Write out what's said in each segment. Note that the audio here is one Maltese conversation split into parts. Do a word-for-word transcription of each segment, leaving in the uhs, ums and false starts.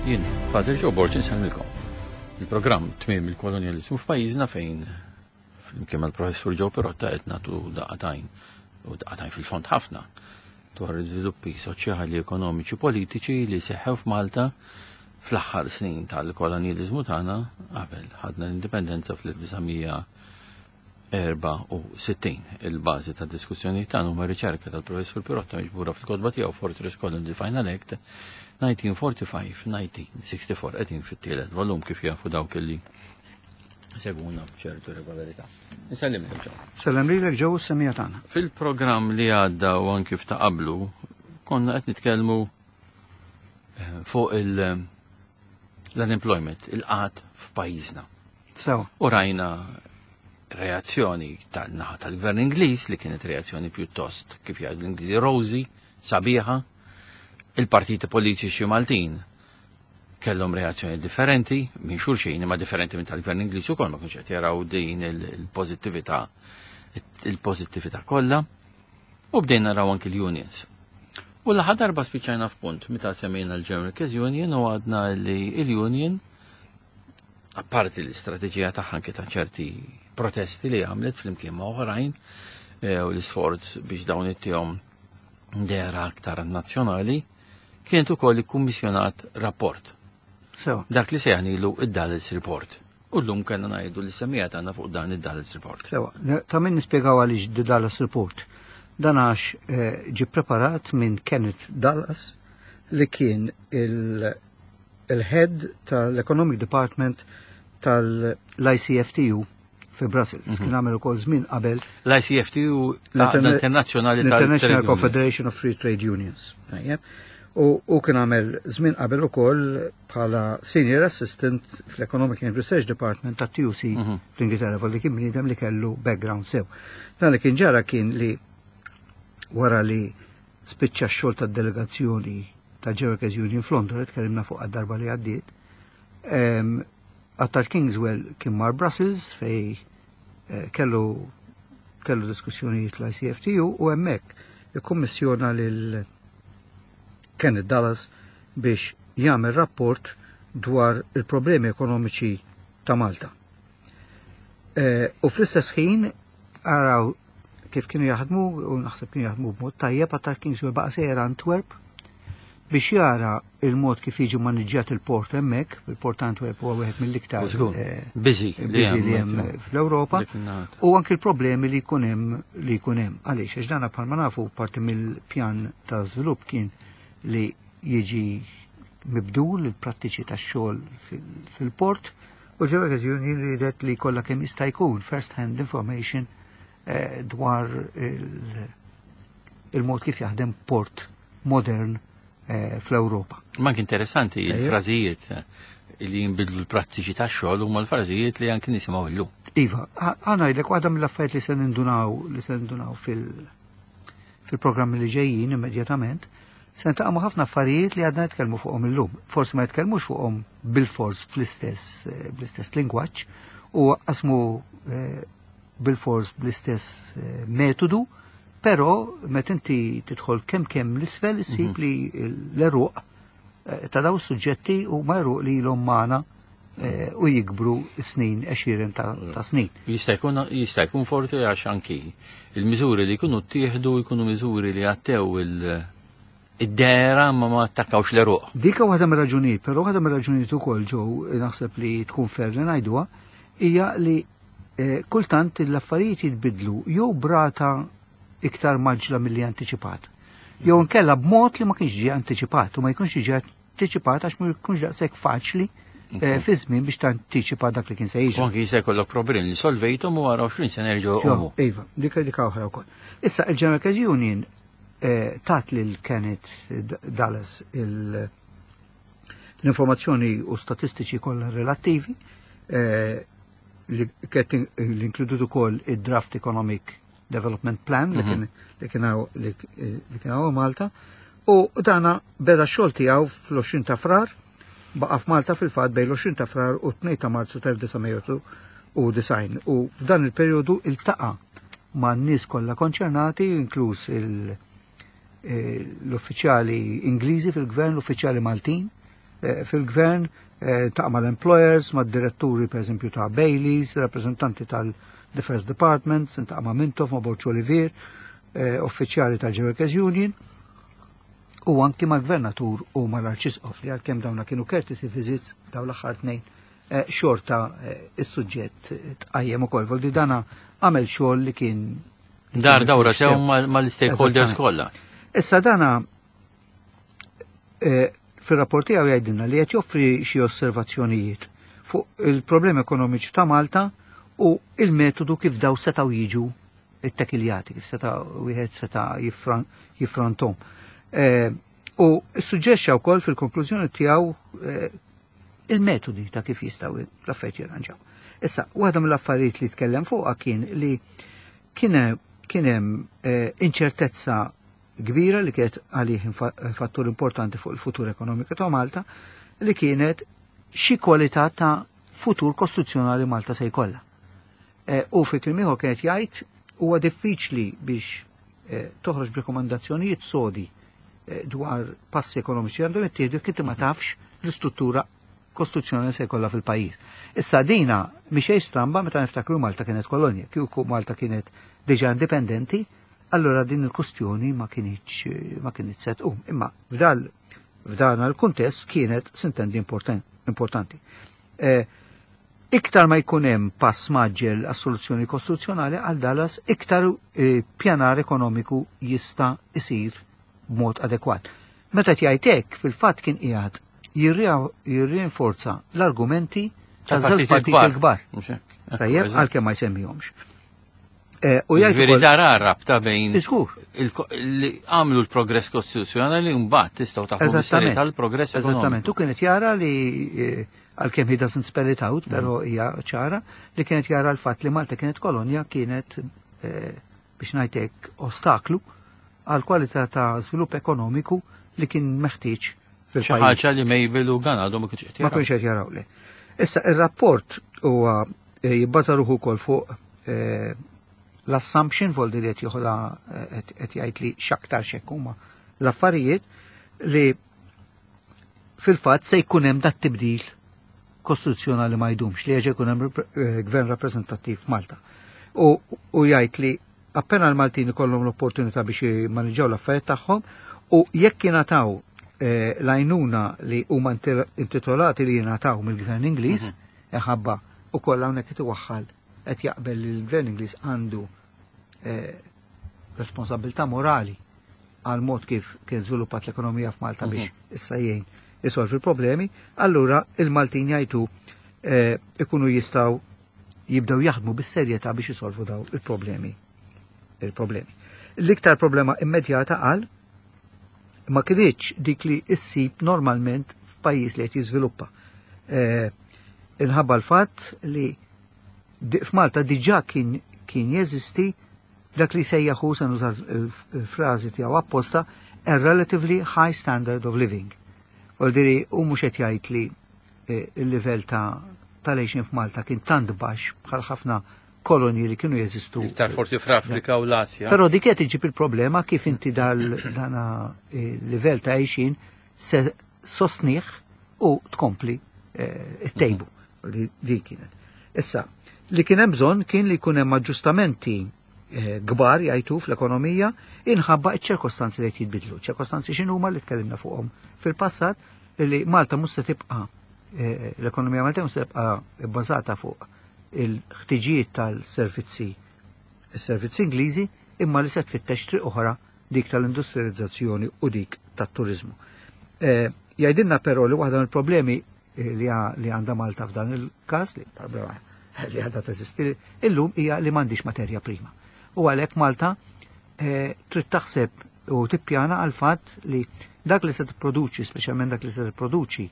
Jien, Father Joe Borg, insellmilkom. Il-programm Tmiem il-Kolonjaliżmu f'pajjiżna, fejn flimkien mal-professur Joe Pirotta qed nagħtu daqqa t'għajn, u daqqa t'għajn fil-fond ħafna, dwar l-iżviluppi soċjali, ekonomiċi, politiċi li seħħew f'Malta fl-aħħar snin tal-kolonjaliżmu tagħna qabel ħadna l-indipendenza fl-elf disa' mija erbgħa u sittin. Il-bażi ta' diskussjoni tagħna huma riċerka tal-professur Pirotta miġbura fil-kotba tiegħu Fortress Colony: The Final Act elf disa' mija erbgħa u ħamsin-elf disa' mija sitta u erbgħin. Qegħdin fit-tielet volum, kif jafu dawk li segwuna b'ċertu regolarità. Nsellimlek, Joe. Sellem lilek, Joe, semmiegħa tagħna. Fil-programm li għadda u anki f'ta' qablu konna qed nitkellmu eh, fuq il- l-unemployment, il-qgħad f'pajjiżna. Sew. U rajna reazzjoni tal-naħa tal-gvern Ingliż li kienet reazzjoni pjuttost, kif jgħidu l-Ingliżi, rosy, sabiħa. Il-partiti politiċi Maltin kellhom reazzjoni differenti minn xulxin, imma differenti minn tal-gvern Ingliż ukoll. Ma kienx qed jaraw din il-pożittività il-pożittività kollha. U bdejna naraw anki l-unions. U l darba spiċċajna f'punt meta semmejna l-General Workers Union u għadna li il-union, apparti l-istrateġija tagħha anke ta' ċerti protesti li għamlet flimkien ma' oħrajn eh, u l-isforz biex dawn ittihom dehra aktar nazzjonali, kienet ukoll ikkummissjonat rapport. Sew. Dak li sejħnilu id-Dallas Report. U llum kellna ngħidu li semmiegħa tagħna fuq dan id-Dallas Report. Sew. Ta' min nispjegaw għaliex The Dallas Report. Dan għax eh, ġi preparat minn Kenneth Dallas, li kien il-head tal-Economic Department tal-I C F T U fi Brussels. Kien għamel ukoll żmien qabel L-I C F T U, l-Internazzjonali l-International tal-Trade Unions. Confederation of Free Trade Unions. Tajjeb. U, u kien għamel żmien qabel ukoll bħala Senior Assistant fl-Economic and Research Department ta' T U C Mhm. fl-Ingilterra, volli kien bniedem li kellu background sew. Dan li kien ġara kien li wara li spiċċa x-xogħol tad-delegazzjoni ta' Workers Union f'Londra, li tkellimna fuq għad-darba li għaddiet, em, Attard Kingswell kien mar Brussels fej eh, kellu kellu diskussjonijiet l-I C F T U u hemmhekk ikkummissjona lil Kenneth Dallas biex jagħmel rapport dwar il-problemi ekonomiċi ta' Malta. Eh, u fl-istess ħin, araw kif kienu jaħdmu, u naħseb kienu jaħdmu b'mod tajjeb, Attard Kingswell baqa' sejjer Antwerp biex jara il-mod kif jiġi maniġġjat il-port hemmhekk. Il-port Antwerp huwa wieħed mill-iktar Żgur. eh, Busy. Busy li hemm fl-Ewropa Dik in-naħa. u anki l-problemi li jkun hemm li jkun hemm. Għaliex? Għax dana, bħalma nafu, parti mill-pjan ta' żvilupp kien li jiġi mibdul il-prattiċi tax-xogħol fil- fil-port u l-Workers Union ridet li kollha kemm jista' jkun first hand information eh, dwar il- il-mod kif jaħdem port modern eh, fl-Ewropa. Ma anke interessanti Ejja. il-frażijiet eh, li jinbidlu l-prattiċi tax-xogħol huma l-frażijiet li anke nisimgħu illum. Iva, ħa ngħidlek, waħda mill-affarijiet li se nindunaw li se nindunaw fil- fil-programmi li ġejjin immedjatament, se niltaqgħu ma' ħafna affarijiet li għadna nitkellmu fuqhom illum. Forsi ma jitkellmux fuqhom bil-fors fl-istess eh, bl-istess lingwaġġ u qasmu eh, bil-fors bl-istess eh, metodu, però meta inti tidħol kemm kemm l-isfel issib li l-għeruq eh, ta' daw suġġetti huma għeruq li ilhom magħna eh, u jikbru snin, għexieren ta', ta' snin. Jista' jkun jista' jkun forti għax anki il-miżuri li jkunu ttieħdu jkunu miżuri li għattew il- id-dehra ma ma attakkawx l-għeruq. Dika waħda mir-raġunijiet, però waħda mir-raġunijiet ukoll, Joe, naħseb li tkun fair li ngħiduha, hija li eh, kultant l-affarijiet jitbidlu jew b'rata iktar mgħaġġla milli antiċipat. Jew nkella b'mod li ma kienx ġie antiċipat u ma jkunx ġie antiċipat għax ma jkunx daqshekk faċli eh, fi żmien biex tantiċipa dak li kien se U jiġri. anki jista' jkollok problemi li solvejthom u wara għoxrin sena jerġgħu Jo, jqumu. iva, dika dika oħra wkoll. Issa il-General Workers Union eh, tat lil Kenneth Dallas il- l-informazzjoni u statistiċi kollha relattivi eh, li kienet li inkludut ukoll id-Draft Economic Development Plan li kien li kien hawn li li kien hawn Malta, u dana beda x-xogħol tiegħu fl-għoxrin ta' Frar. Baqa' f'Malta fil-fatt bejn l-għoxrin ta' Frar u tnejn ta' Marzu tal-elf disa' mija u disgħin u f'dan il-perjodu iltaqa' ma' n-nies kollha konċernati, inkluż il- eh, l-uffiċjali Ingliżi fil-gvern, l-uffiċjali Maltin. eh, fil-gvern, eh, iltaqa' mal-employers, mad-diretturi per eżempju ta' Baileys, rappresentanti tal-Defense Departments, iltaqa' ma' Mintoff, ma' Borg Olivier, eh, uffiċjali tal-Workers Union, u anki mal-gvernatur u mal-arċisqof li għalkemm dawna kienu courtesy visits daw l-aħħar tnejn eh, xorta eh, is-suġġett tqajjem ukoll. Voldi dana għamel xogħol li kien Dar dawra sew mal-stakeholders kollha. Issa dana eh, fil-rapport tiegħu jgħidilna li qed joffri xi osservazzjonijiet fuq il-problemi ekonomiċi ta' Malta u il-metodu kif daw setgħu jiġu it-tekiljati, kif seta' wieħed seta' jiffrontom. Eh, u suġġerixxa wkoll fil-konklużjoni tiegħu eh, il-metodi ta' kif jistgħu l-affarijiet jirranġaw. Issa, waħda mill-affarijiet li tkellem fuqha kien li kien kien hemm eh, inċertezza kbira li kienet għalih fattur importanti fuq il-futur ekonomiku ta' Malta li kienet xi kwalità ta' futur kostituzzjonali Malta se jkollha. U fi kliem ieħor kienet jgħid huwa diffiċli biex toħroġ b'rekomandazzjonijiet sodi dwar passi ekonomiċi għandhom jittieħdu kif ma tafx l-istruttura kostituzzjonali se jkollha fil-pajjiż. Issa dina mhix stramba meta niftakru Malta kienet kolonja, kieku Malta kienet diġà indipendenti, allora din il-kustjoni ma kienx ma kienet se tqum. Imma f'dal f'dan il-kuntest kienet sintendi importanti. Eh, iktar ma jkun hemm pass mgħaġġel għas-soluzzjoni kostituzzjonali għal dalas iktar eh, pjanar ekonomiku jista' isir b'mod adekwat. Meta jgħid hekk fil-fatt kien qiegħed jirrinforza l-argumenti tal-żewġ partiti l-kbar. Tajjeb, għalkemm ma jsemmihomx. Eh, u jgħid dara rabta bejn li għamlu l-progress kostituzzjonali mbagħad tistgħu taħdu tal-progress ekonomiku. Eżattament, u kienet jara li eh, għalkemm he doesn't spell it out, però mm. hija ċara li kienet jara l-fatt li Malta kienet kolonja kienet eh, biex ngħidlek ostaklu għal kwalità ta' żvilupp ekonomiku li kien meħtieġ fil-pajjiż. Ħaġa li Mabel u Gunn għadhom ma kienx qed Ma kienx qed jaraw li. Issa ir-rapport huwa eh, jibbaża ruħu wkoll fuq eh, l-assumption voldi li qed joħodha eh, qed jgħid li x'aktar x'hekk huma l-affarijiet li fil-fatt se jkun hemm dat tibdil kostituzzjonali ma jdumx li jerġa' jkun hemm gvern rappreżentattiv f'Malta. U, u jgħid li appena l-Maltin ikollhom l-opportunità biex jimmaniġġaw l-affarijiet tagħhom u jekk jingħataw eh, l-għajnuna li huma intitolati li jingħataw mill-Gvern Ingliż, mhm. ħabba u kollha hawnhekk qed iwaħħal qed jaqbel li l-Gvern Ingliż għandu eh, responsabilità morali għal mod kif kien żviluppat l-ekonomija f'Malta biex mhm. issa jgħin isolvi l-problemi, allura il-Maltin jgħidu eh, ikunu jistgħu jibdew jaħdmu bis-serjetà biex isolvu daw il-problemi. Il-problemi. L-iktar problema immedjata għal ma kienx dik li issib normalment f'pajjiż li qed jiżviluppa. Eh, inħabba l-fatt li f'Malta diġà kien kien jeżisti dak li sejjaħu se nuża l-frażi tiegħu apposta a relatively high standard of living. Voldiri, u mhux qed jgħid li eh, il-livell ta' tal-għixien f'Malta kien tant baxx bħal ħafna kolonji li kienu jeżistu. Iktar forsi fl-Afrika u l-Asja. Però dik qed iġib il-problema kif inti dal dana eh, livell ta' għixien se sostnieh u tkompli eh, it-tejbu li di kienet. Issa, li kien hemm bżonn kien li jkun hemm aġġustamenti eh, kbar jgħidu fl-ekonomija inħabba ċ-ċirkostanzi li qed jitbidlu. ċirkostanzi x'inhuma li tkellimna fuqhom fil-passat li Malta mhux se tibqa' eh, l-ekonomija Malta mhux se tibqa' bbażata fuq il-ħtiġijiet tal-servizzi is-servizzi Ingliżi imma li se tfittex triq oħra dik tal-industrializzazzjoni u dik tat-turizmu. Eh, Jgħidilna però li waħda mill-problemi eh, li li għandha Malta f'dan il-każ li problema li għadha teżisti illum hija li m'għandix materja prima. U għalhekk Malta eh, trid taħseb u tippjana għal fatt li dak li se tipproduċi, speċjalment dak li se tipproduċi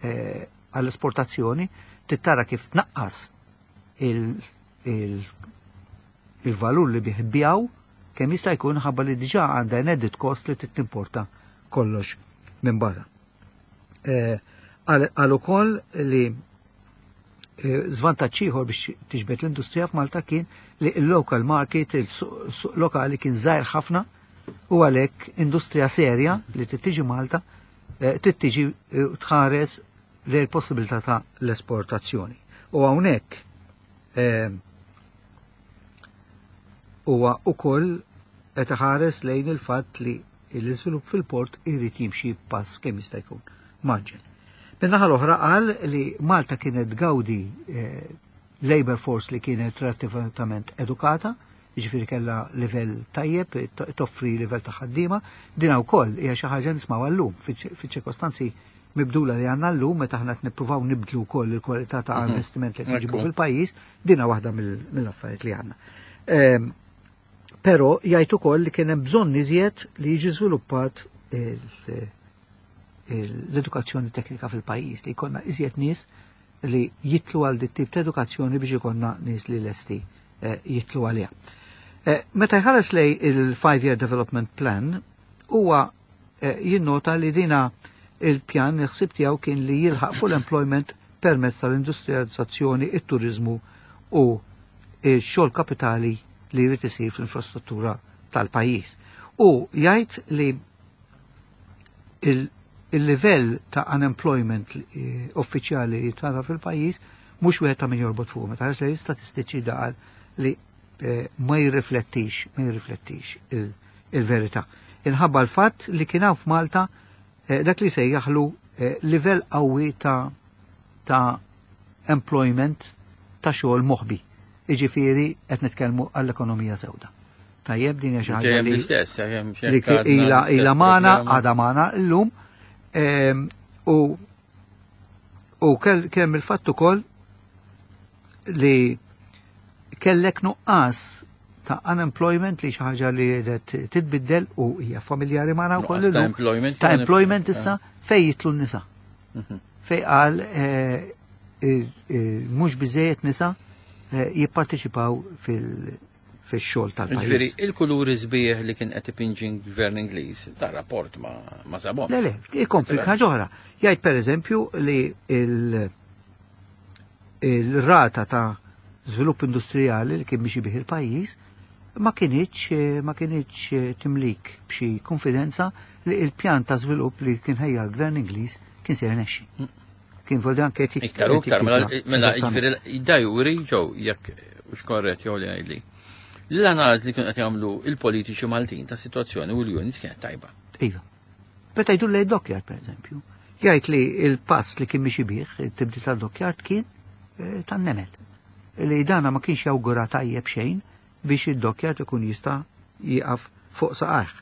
għall-esportazzjoni, tittara kif tnaqqas il-valur li bih bijaw kemm jista' jkun ħabba li diġà għandha an added cost li timporta kollox minn barra. Għal ukoll li żvantaġġ ieħor biex tiġbed l-industrija f'Malta kien li l-local market, il-suq lokali kien żgħir ħafna u għalhekk industrija serja li tiġi Malta trid tiġi tħares lejn possibilità ta' l-esportazzjoni. U hawnhekk huwa ukoll qed iħares lejn il-fatt li l-iżvilupp fil-port irid jimxi pass kemm jista' jkun maġġel. Min-naħa l-oħra qal li Malta kienet gawdi labor force li kienet relattivament edukata, jiġifieri kellha livell tajjeb, toffri livell ta' ħaddiema, din wkoll hija xi ħaġa nismgħu llum fiċ-ċirkostanzi mibdula li għandna llum meta aħna qed nippruvaw nibdlu wkoll il-kwalità ta' investiment li nġibu fil-pajjiż, dina waħda mill-affarijiet li għandna. Però jgħid ukoll li kien hemm bżonn iżjed li jiġi żviluppat l-edukazzjoni teknika fil-pajjiż, li jkollna iżjed nies li jitlu għal dit tip ta' edukazzjoni biex ikollna nies li lesti jitlu għaliha. Meta jħares lej il-Five Year Development Plan, huwa jinnota li dina il-pjan il-ħsieb tiegħu kien li jilħaq full employment permezz tal-industrializzazzjoni, it-turizmu u x-xogħol kapitali li jrid isir fl-infrastruttura tal-pajjiż. U jgħid li il-livell ta' unemployment uffiċjali li tata fil-pajjiż mhux wieħed ta' min jorbot fuq. Meta ħares lejn statistiċi daqal li ma jirriflettix, ma jirriflettix il-verità. Inħabba l-fatt li kien hawn f'Malta dak li sejjaħlu livell qawwi ta' ta' employment ta' xogħol moħbi. Jiġifieri qed nitkellmu għall-ekonomija sewda. Tajjeb, din hija xi ħaġa li li ila ila magħna, għadha magħna llum. U u kemm il-fatt ukoll li kellek nuqqas ta' unemployment li xi ħaġa li qiegħdet titbiddel u hija familjari magħna wkoll ta' employment ta' employment issa fejn jitlu n-nisa. Fej qal mhux biżejjed nisa jipparteċipaw fil-xogħol tal-pajjiż. Ġifieri il-kuluri sbieħ li kien qed ipinġi gvern Ingliż, ta' rapport ma ma sabhom. Le, le, ikompli ħaġa oħra. Jgħid pereżempju li il-rata ta' żvilupp industrijali li kien biex bih il-pajjiż ma kienx ma kienx timlik b'xi konfidenza li il-pjan ta' żvilupp li kien ħejja l-gvern Ingliż kien se jirnexxi. Kien vol dan kien Iktar u iktar, mela jiġifieri da juri ġew jekk hux korrett jew li ngħidli. L-analiżi li kienu qed jagħmlu il-politiċi Maltin ta' sitwazzjoni u l-units kienet tajba. Iva. Meta jdur lejn dockyard pereżempju, jgħid li il-pass li kien miexi bih, it-tibdil tad-dockyard kien tan-nemel. Li dana ma kienx jawgura tajjeb xejn biex id-dockyard ikun jista' jieqaf fuq saqajh.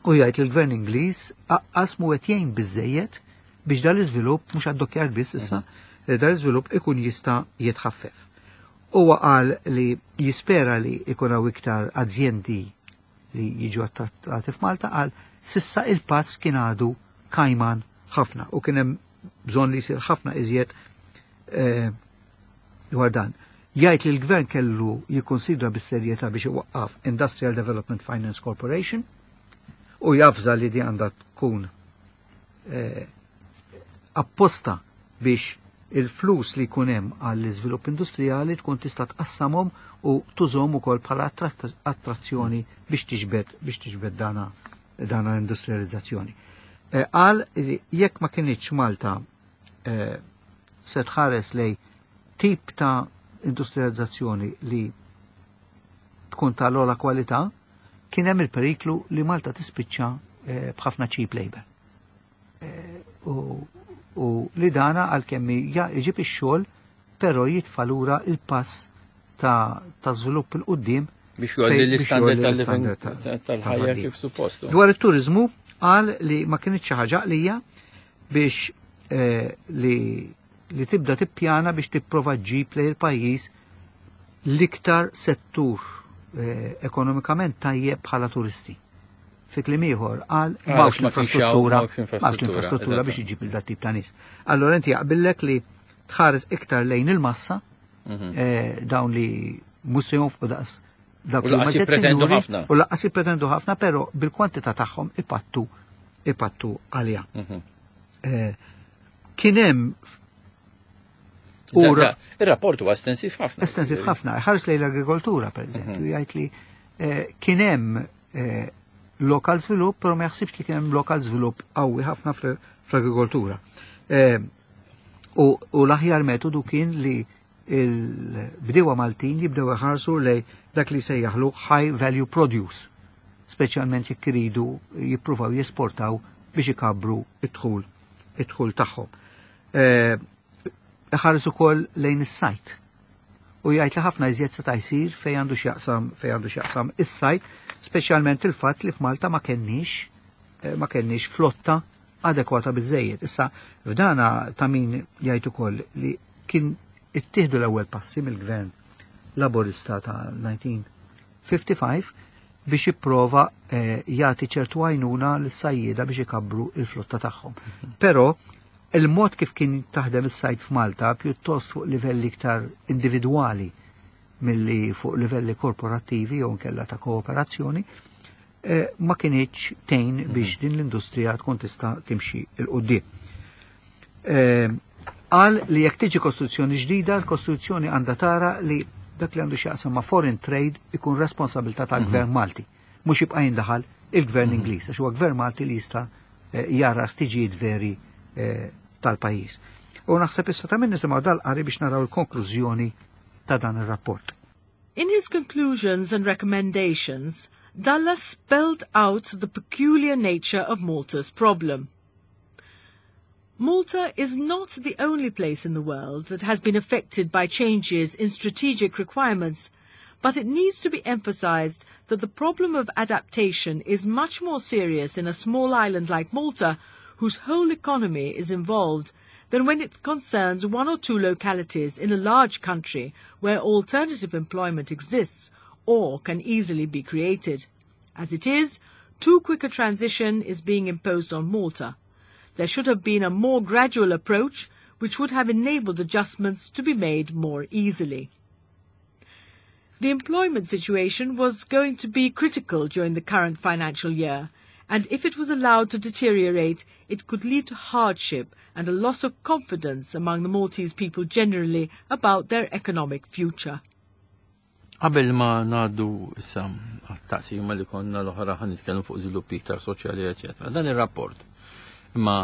U jgħid li l-gvern Ingliż aqqas mu qed jgħin biżejjed biex dal-iżvilupp mhux għad-dockyard biss issa, dal-iżvilupp ikun jista' jitħaffef. Huwa qal li jispera li ikun hawn iktar azjendi li jiġu attrattati f'Malta, qal sissa il-pass kien għadu kajman ħafna u kien hemm bżonn li jsir ħafna iżjed dwar dan. Jgħid li l-gvern kellu jikkonsidra bis-serjetà biex iwaqqaf Industrial Development Finance Corporation u jafża li di għandha tkun apposta biex il-flus li jkun hemm għall-iżvilupp industrijali tkun tista' tqassamhom u tużhom ukoll bħala attrazzjoni biex tiġbed biex tiġbed dana dana l-industrializzazzjoni. Qal li jekk ma kienx Malta se tħares lej tip ta' industrializzazzjoni li tkun ta' l-ogħla kwalità, kien hemm il-periklu li Malta tispiċċa b'ħafna cheap labor. U li dana għalkemm jġib ix-xogħol, però jitfa' lura il-pass ta' ta' żvilupp il quddiem biex jgħolli l-istandard tal-ħajja kif suppost. Dwar it-turizmu qal li ma kienx xi ħaġa għaqlija biex li li tibda tippjana biex tipprova ġġib lejn il-pajjiż l-iktar settur ekonomikament tajjeb bħala turisti. Fi kliem ieħor qal m'hawnx l-infrastruttura, m'hawnx l-infrastruttura biex iġib il dat tip ta' nies. Allora inti jaqbillek li tħares iktar lejn il-massa, dawn li mhux se jonfqu daqs dak U laqas jippretendu ħafna. U laqas jippretendu ħafna, però bil-kwantità tagħhom ipattu ipattu għaliha. Kien hemm Ir-rapport huwa estensiv ħafna. Estensiv ħafna. Ħares lejn l-agrikoltura, pereżempju, jgħid li kien hemm Lokal żvilupp, però ma jaħsibx li kien hemm lokal żvilupp qawwi ħafna fl-agrikoltura. Eh, u, u l-aħjar metodu kien li il-bdiewa Maltin jibdew iħarsu lej dak li sejjaħlu high value produce, speċjalment jekk iridu jippruvaw jesportaw biex ikabru id-dħul id-dħul tagħhom. Eh, Iħares ukoll lejn is-sajt. U jgħid li ħafna iżjed seta' jsir fejn għandu x'jaqsam fejn għandu x'jaqsam is-sajt, speċjalment il-fatt li f'Malta ma kenniex eh, ma kenniex flotta adekwata biżejjed. Issa f'dana ta' min jgħid ukoll li kien ittieħdu l-ewwel passi mill-gvern Laborista ta' elf disa' mija u ħamsa u ħamsin biex jipprova eh, jagħti ċertu għajnuna lis-sajjieda biex ikabbru il-flotta tagħhom. Però il-mod kif kien taħdem is-sajt f'Malta, pjuttost fuq livelli iktar individwali milli fuq livelli korporattivi jew nkella ta' kooperazzjoni, eh, ma kinitx tgħin biex din l-industrija tkun tista' timxi 'l quddiem. Eh, Qal li jekk tiġi kostituzzjoni ġdida, l-kostituzzjoni għandha tara li dak li għandu x'jaqsam ma' foreign trade ikun responsabilità tal-gvern Malti, mhux jibqa' jindaħal il-gvern Ingliż, għax huwa gvern Malti li jista' eh, jara ħtiġijiet veri eh, tal-pajjiż. U naħseb issa ta' min nisimgħu dal-qari biex naraw il-konklużjoni ta' dan ir-rapport. In his conclusions and recommendations, Dallas spelled out the peculiar nature of Malta's problem. Malta is not the only place in the world that has been affected by changes in strategic requirements, but it needs to be emphasized that the problem of adaptation is much more serious in a small island like Malta, whose whole economy is involved, than when it concerns one or two localities in a large country where alternative employment exists or can easily be created. As it is, too quick a transition is being imposed on Malta. There should have been a more gradual approach which would have enabled adjustments to be made more easily. The employment situation was going to be critical during the current financial year, and if it was allowed to deteriorate, it could lead to hardship and a loss of confidence among the Maltese people generally about their economic future. Qabel ma ngħaddu issa għat-taqsima li konna l-oħra, ħa nitkellmu fuq żviluppi iktar soċjali, eċetera. Dan ir-rapport imma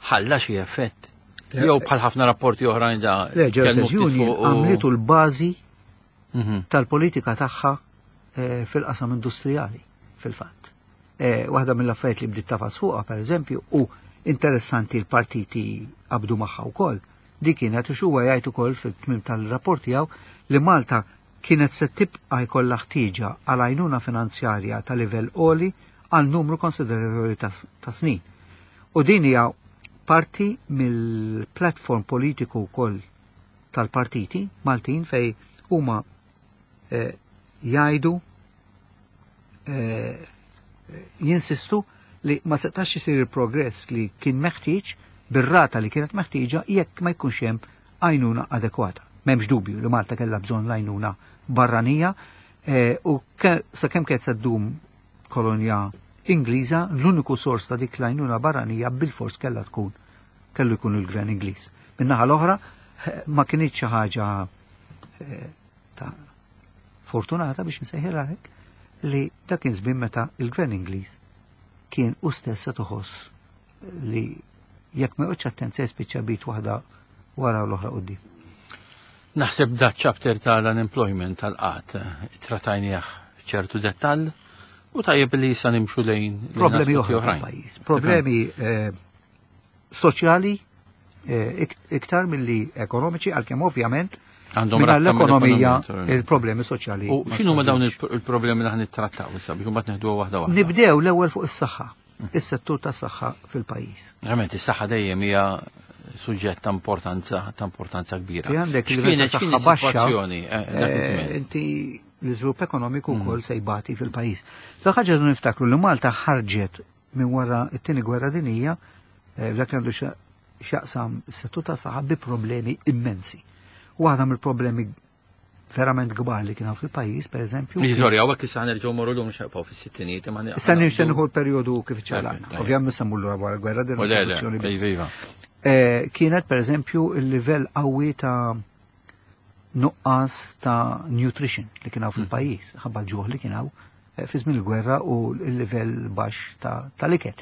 ħalla xi effett? Jew bħal ħafna rapporti oħrajn da Le, tkellmu ftit Union fuq u- għamlitu l-bażi Mhm. tal-politika tagħha eh, fil-qasam industrijali, fil-fatt. Eh, Waħda mill-affarijiet li bdiet tagħfas fuqha, per eżempju, u interessanti l-partiti qabdu magħha wkoll. Di kienet u huwa jgħid ukoll fil-tmim tal-rapport tiegħu li Malta kienet se tibqa' jkollha ħtieġa għal għajnuna finanzjarja ta' livell għoli għal numru konsiderevoli ta' ta' snin. U din hija parti mill-platform politiku wkoll tal-partiti Maltin fej huma eh, jgħidu, eh, jinsistu li ma setax isir il-progress li kien meħtieġ bir-rata li kienet meħtieġa jekk ma jkunx hemm għajnuna adekwata. M'hemmx dubju li Malta kellha bżonn l-għajnuna barranija eh, u ke- sakemm kienet se ddum kolonja Ingliża, l-uniku sors ta' dik l-għajnuna barranija bil-fors kellha tkun kellu jkun il-gvern Ingliż. Min-naħa l-oħra eh, ma kinitx xi ħaġa eh, ta' fortunata, biex nsejħilha hekk, li dak kien żmien meta il-gvern Ingliż kien u stess se toħoss li jekk ma joqgħodx attent se jispiċċa b'id waħda wara l-oħra quddiem. Naħseb da chapter tal-unemployment, tal-qgħad, trattajnieh ċertu dettall u tajjeb li issa nimxu lejn lejn Problemi aspetti oħra oħrajn. fil-pajjiż, problemi eh, soċjali eh, ik- iktar milli ekonomiċi, għalkemm ovvjament Għandhom minna rabta l-ekonomija mill-ekonomija, il-problemi soċjali. U ma x'inhu ma dawn solvewx. il- il-problemi li ħan nittrattaw issa biex imbagħad neħduha waħda waħda? Nibdew l-ewwel fuq is-saħħa, is-settur tas-saħħa fil-pajjiż. Verament, is-saħħa dejjem hija suġġett ta' importanza ta' importanza kbira. Fi għandek il-livell X'kienet ta' x'kien saħħa baxxa, is-sitwazzjoni eh, dak eh, iż-żmien? inti l-iżvilupp ekonomiku wkoll se jbati fil-pajjiż. La ħaġa li niftakru li Malta ħarġet minn wara t-tieni gwerra dinija eh, f'dak li għandu xa- x'jaqsam is-settur ta' saħħa bi problemi immensi. Waħda mill-problemi verament kbar li kien hawn fil-pajjiż, per eżempju. Miġi, sorry, hawnhekk issa ħanerġgħu morru lum xaqpaw fis-sittinijiet imma Issa nixtieq nieħu l-perjodu kif ċalana. Tajjeb. Ovvjament semmu l wara l-gwerra din U le, le, rivoluzzjoni biss. iva, iva. Eh, Kienet per eżempju il-livell qawwi ta' nuqqas ta' nutrition li kien hawn fil-pajjiż, ħabba l-ġuħ li kien hawn fi żmien il-gwerra u l-livell baxx tal-ikel.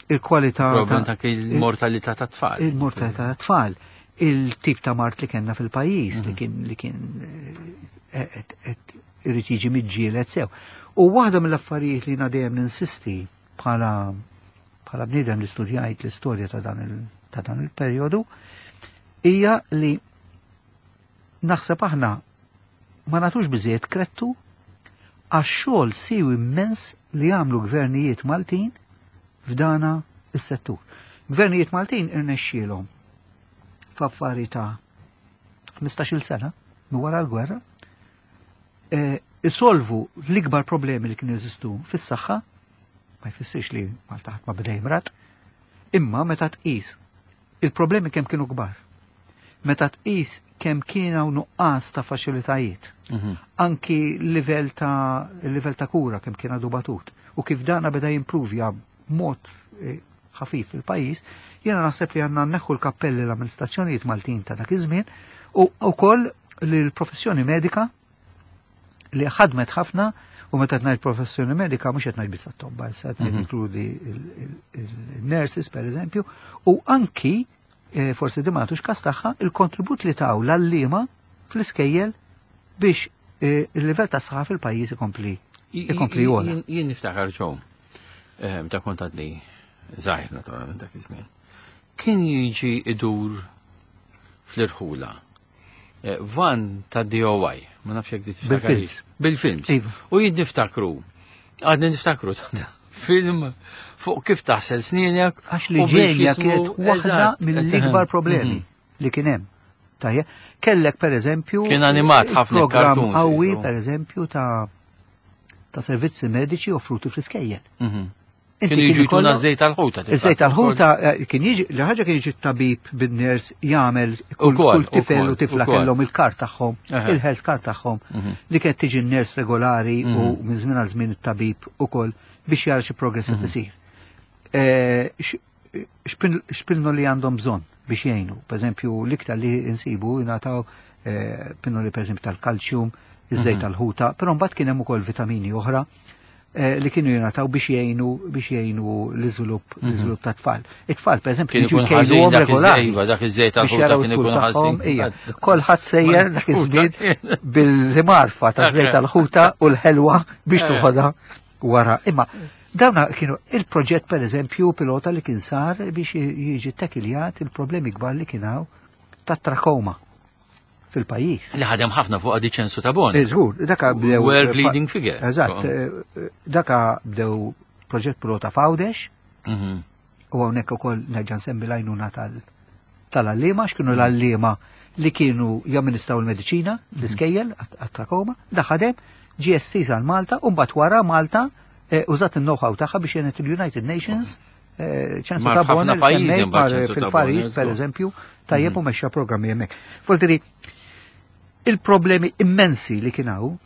Il-kwalità ta' il-mortalità ta' tfal. Il-mortalità ta' tfal. Il-tip ta' mard li kellna fil-pajjiż li kien li kien irid jiġi miġġieled sew. U waħda mill-affarijiet li jiena dejjem ninsisti bħala bħala bniedem li studjajt l-istorja ta' dan il ta' dan il-perjodu hija li naħseb aħna ma nagħtux biżejjed kredtu għax-xogħol siewi immens li għamlu gvernijiet Maltin f'dana is-settur. Gvernijiet Maltin irnexxielhom f'affari ta' ħmistax-il sena minn wara l-gwerra e, isolvu l-ikbar problemi li kienu jeżistu fis-saħħa, ma jfissirx li Malta ħadd ma beda jimrad, imma meta tqis il-problemi kemm kienu kbar. Meta tqis kemm kien hawn nuqqas ta' faċilitajiet, Mhm. anki livell ta' livell ta' kura kemm kien għadu batut, u kif dana beda jimpruvja mod eh, ħafif fil-pajjiż, jiena naħseb li għandna nneħħu l-kappelli l-amministrazzjonijiet Maltin ta' dak iż-żmien u wkoll l-professjoni medika li ħadmet ħafna. U meta ngħid professjoni medika mhux qed ngħid biss għat-tobba, issa qed ngħid inkludi il-nurses pereżempju, u anki eh, forsi di ma nagħtux kas tagħha, il-kontribut li taw l-għalliema fl-iskejjel biex eh, il-livell ta' saħħa fil-pajjiż ikompli ikompli jogħla. Jien niftakar ġew, ta' kont għadni żgħir naturalment dak iż-żmien. Kien jiġi idur fl-irħula. Eh, van ta' D O I, ma nafx jekk di Bil-films. Bil-films. Iva. U jien niftakru, għadni niftakru ta' film fuq kif taħsel snienek. Għax li u biex ġenja jismu- kienet waħda Eżatt. mill-ikbar problemi li kien hemm. Tajja, kellek per eżempju Kien animat ħafna program cartoons, qawwi jisu. per eżempju ta' ta' servizzi mediċi offruti fl-iskejjel. Mhm. Inti Kienu kien jiġu jtuna ikollok- żejt tal-ħuta. Iż-żejt tal-ħuta eh, kien jiġi, li ħaġa kien jiġi t-tabib bin-ners jagħmel kull Ukoll, kull tifel ukoll, u tifla ukoll. kellhom il-kart tagħhom, Eħe. il-health card tagħhom, Mhm. li kienet tiġi n-ners regolari u minn żmien għal żmien it-tabib ukoll biex jara xi progress qed isir. Eh, x- x'pin- X'pilloli għandhom bżonn biex jgħinu. Per eżempju, l-iktar li insibu jingħataw eh, pinnoli per eżempju tal-kalċjum, iż-żejt tal-ħuta, però mbagħad kien hemm ukoll vitamini oħra eh, li kienu jingħataw biex jgħinu biex jgħinu l-iżvilupp l-iżvilupp ta' tfal. It-tfal per eżempju Kien jiġu ikun ħażin jkejluhom dak iż- regolari. iva, dak iż-żejt biex tal-ħuta jaraw kien it-tul ikun tagħhom, ħażin. ija. Kolħadd sejjer dak iż-żmien bil-marfa ta' żejt tal-ħuta u l-ħelwa biex Eh. tuħodha wara. Imma dawna kienu il-proġett per eżempju pilota li kien sar biex jiġi takiljat il-problemi kbar li kien hawn ta' trakoma fil-pajjiż. Li ħadem ħafna fuq għadi Ċensu Tabone. Eh, Żgur, daka bdew. World leading figure. Eżatt, eh, daka bdew proġett pilota f'Għawdex Mhm. u hawnhekk ukoll nerġa' nsemmi l-għajnuna tal- tal-għalliema, x'kienu l-għalliema li kienu jamministraw il-mediċina fl-iskejjel għat-trakoma, da ħadem ġie estiż għal Malta u mbagħad wara Malta eh, użat il-know-how tagħha biex jenet il-United Nations eh, Ċensu Mar Tabone f'ħafna li pajjiżi semmejt mbagħad mar Ċensu fil-Far Tabone, East per żgur. eżempju tajjeb u mexxa programmi hemmhekk. Voldiri, il-problemi immensi li kien hawn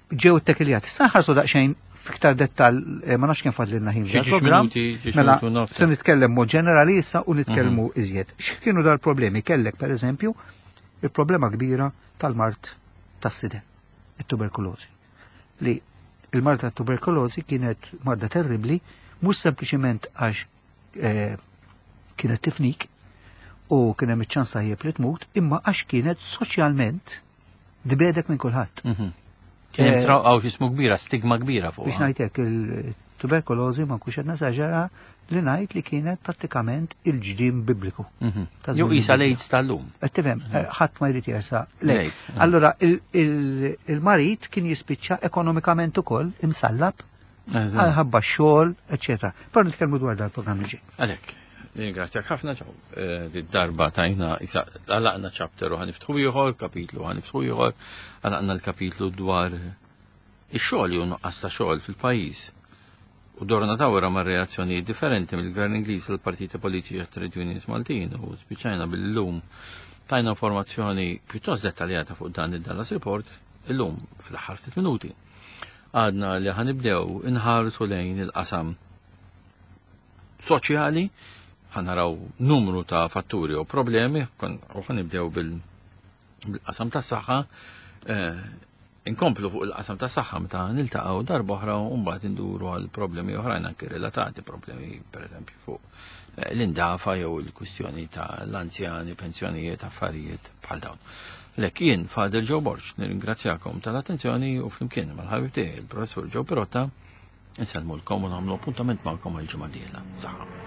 ġew ittekiljati. Sa nħarsu daqsxejn fiktar dettal, eh, ma nafx kemm fadlilna ħin Xi ġiex fil-programm. minuti, ġiex Mela, minuti u nofs. se nitkellem mod ġenerali issa u nitkellmu iżjed. X'kienu dal-problemi? Kellek per eżempju il-problema kbira tal-mard tas-siden, it-tuberkulożi. Li il-mard tat-tuberkulożi kienet marda terribli, mhux sempliċiment għax eh, kienet tifnik u kien hemm iċ-ċans tajjeb li tmut, imma għax kienet soċjalment tbegħdek minn kulħadd. Mhm. Kien hemm Eh, trawqa x'ismu kbira, stigma kbira fuq. Biex ngħidlek il-tuberkulożi ma nkunx qed nesaġera li ngħid li kienet prattikament il-ġdim bibliku. Ta' Jew żmien isa il-Bibbja. l-AIDS tal-lum. Qed tifhem, eh, ħadd ma jrid jersa. Lejk, Lejk. Allora il- il- il-marid kien jispiċċa ekonomikament ukoll imsallab ħabba xogħol, eċetera. Però nitkellmu dwar dal-programm li ġej. Għalek, ringrazzjak ħafna ċaw. Eh, Darba tajna, isa, għalaqna chapter u ħa niftħu ieħor, kapitlu ħa niftħu ieħor, għalaqna l-kapitlu dwar ix-xogħol jew nuqqas ta' xogħol fil-pajjiż. U dorna dawra ma' reazzjoni differenti mill-Gvern Ingliż l-partiti politiċi għat-trade unions Maltin u spiċajna bil-lum tajna informazzjoni pjuttost dettaljata fuq dan il-Dallas Report illum fl-aħħar ftit minuti. Għadna li ħa nibdew inħarsu lejn il-qasam soċjali, ħa naraw numru ta' fatturi u problemi, kon- u ħa nibdew bil- bil-qasam ta' saħħa, eh, Inkomplu fuq il-qasam ta' saħħa meta niltaqgħu darba oħra u mbagħad induru għal problemi oħrajn anke relatati, problemi pereżempju fuq eh, l-indafa jew il-kwistjoni ta' l-anzjani, pensjonijiet, affarijiet bħal dawn. Lek jien Father Joe Borg nirringrazzjakom tal-attenzjoni u flimkien mal-ħabib tiegħi il-Professur Joe Pirotta insellmulkom u nagħmlu appuntament magħkom għal ġimgħa dieħla. Saħħa.